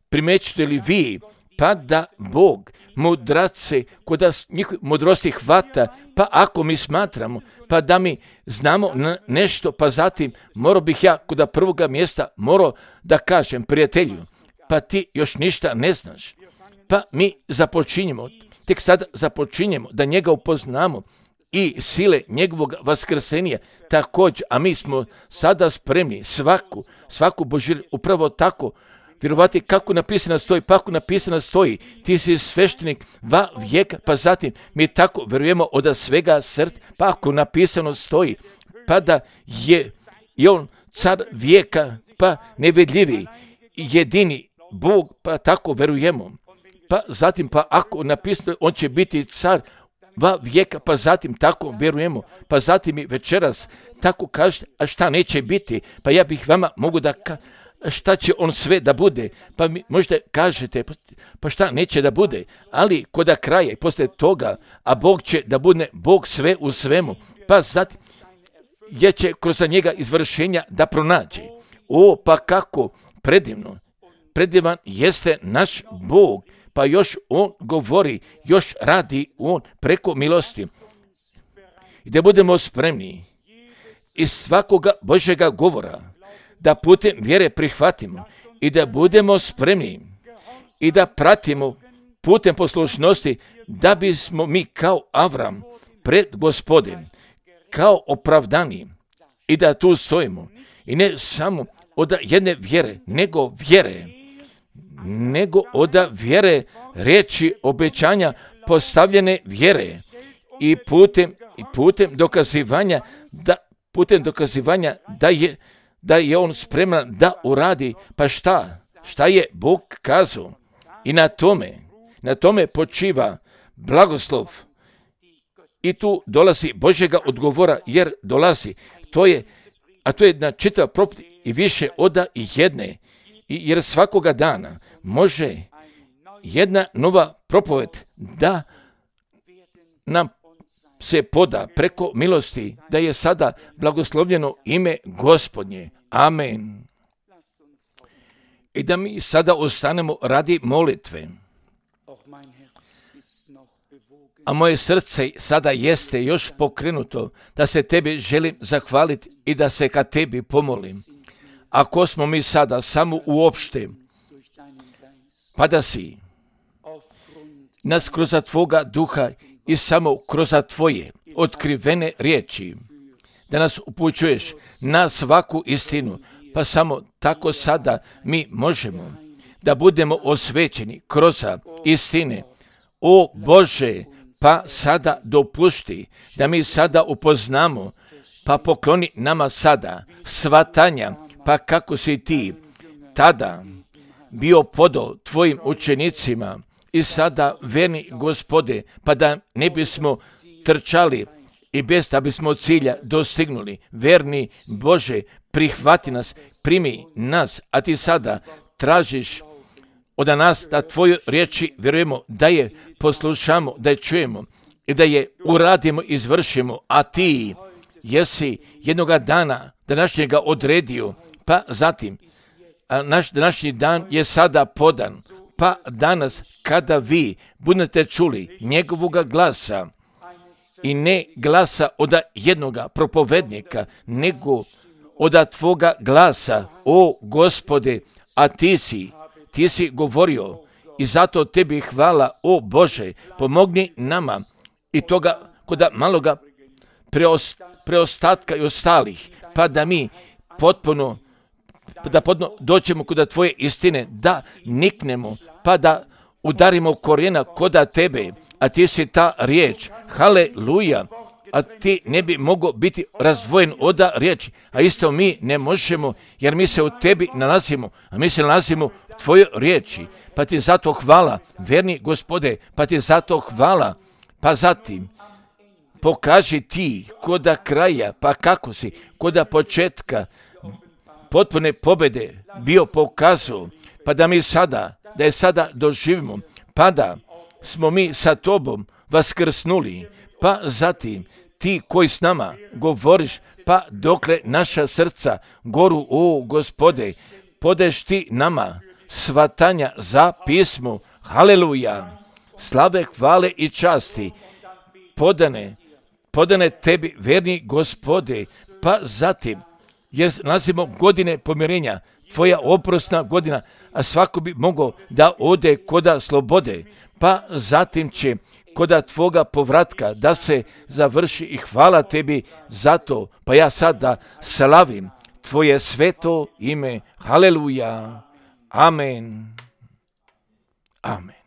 Primećujete li vi, pa da Bog mudrace, koda njih mudrosti hvata, pa ako mi smatramo, pa da mi znamo nešto, pa zatim morao bih ja kod prvoga mjesta morao da kažem prijatelju, pa ti još ništa ne znaš, pa mi započinjemo, tek sada započinjemo da njega upoznamo i sile njegovog vaskrsenja također, a mi smo sada spremni svaku, svaku Božju upravo tako vjerovati kako napisano stoji, pa ako napisano stoji, ti si sveštenik va vijeka, pa zatim mi tako vjerujemo od svega srca, pa ako napisano stoji, pa da je i on car vijeka, pa nevidljivi, jedini Bog, pa tako vjerujemo. Pa zatim, pa ako napisano, on će biti car va vijeka, pa zatim tako vjerujemo. Pa zatim i večeras tako kažete, a šta neće biti? Pa ja bih vama mogu da kažem, šta će on sve da bude, pa mi možda kažete, pa šta neće da bude, ali kod kraja i posle toga, a Bog će da bude Bog sve u svemu, pa zatim je će kroz njega izvršenja da pronađe. O, pa kako predivno, predivan jeste naš Bog, pa još on govori, još radi on preko milosti. I da budemo spremni iz svakoga Božjega govora, da putem vjere prihvatimo i da budemo spremni i da pratimo putem poslušnosti, da bismo mi kao Avram pred Gospodem, kao opravdani i da tu stojimo. I ne samo od jedne vjere, nego vjere, nego od vjere riječi obećanja postavljene vjere i putem, i putem dokazivanja da putem dokazivanja da je da je on spreman da uradi, pa šta? Šta je Bog kazao? I na tome, na tome počiva blagoslov. I tu dolazi Božjega odgovora, jer dolazi, to je, a to je na čitav propoved i više oda i jedne, I jer svakoga dana može jedna nova propoved da nam se poda preko milosti, da je sada blagoslovljeno ime Gospodnje. Amen. I da mi sada ostanemo radi molitve. A moje srce sada jeste još pokrenuto da se tebi želim zahvaliti i da se ka tebi pomolim. Ako smo mi sada samo uopšte, pa da si nas kroz tvoga duha i samo kroz tvoje otkrivene riječi, da nas upućuješ na svaku istinu, pa samo tako sada mi možemo da budemo osvećeni kroz istine. O Bože, pa sada dopušti da mi sada upoznamo, pa pokloni nama sada svatanja, pa kako si ti tada bio podao tvojim učenicima i sada verni Gospode, pa da ne bismo trčali i bez da bismo cilja dostignuli. Verni Bože, prihvati nas, primi nas, a ti sada tražiš od nas da tvoju riječi vjerujemo, da je poslušamo, da je čujemo i da je uradimo, izvršimo, a ti jesi jednoga dana današnjega odredio, pa zatim a naš današnji dan je sada podan, pa danas kada vi budete čuli njegovoga glasa i ne glasa od jednoga propovednika, nego od tvoga glasa, o Gospode, a ti si, ti si govorio i zato tebi hvala, o Bože, pomogni nama i toga kod maloga preost, preostatka i ostalih, pa da mi potpuno da potpuno doćemo kod tvoje istine, da niknemo, pa da udarimo korijena kod tebe, a ti si ta riječ, haleluja, a ti ne bi mogao biti razdvojen od riječi, a isto mi ne možemo, jer mi se u tebi nalazimo, a mi se nalazimo u tvojoj riječi, pa ti zato hvala, verni Gospode, pa ti zato hvala, pa zatim pokaži ti koda kraja, pa kako si koda početka potpune pobjede bio pokazao, pa da mi sada, da je sada doživimo, pa da smo mi sa tobom vaskrsnuli, pa zatim ti koji s nama govoriš, pa dokle naša srca goru, o Gospode, podeš ti nama svatanja za pismo, haleluja, slave, hvale i časti, podane, podane tebi, verni Gospode, pa zatim, jer nalazimo godine pomirenja, tvoja oprosna godina, a svako bi mogao da ode koda slobode, pa zatim će koda tvoga povratka da se završi i hvala tebi za to, pa ja sada slavim tvoje sveto ime, haleluja, Amen. Amen.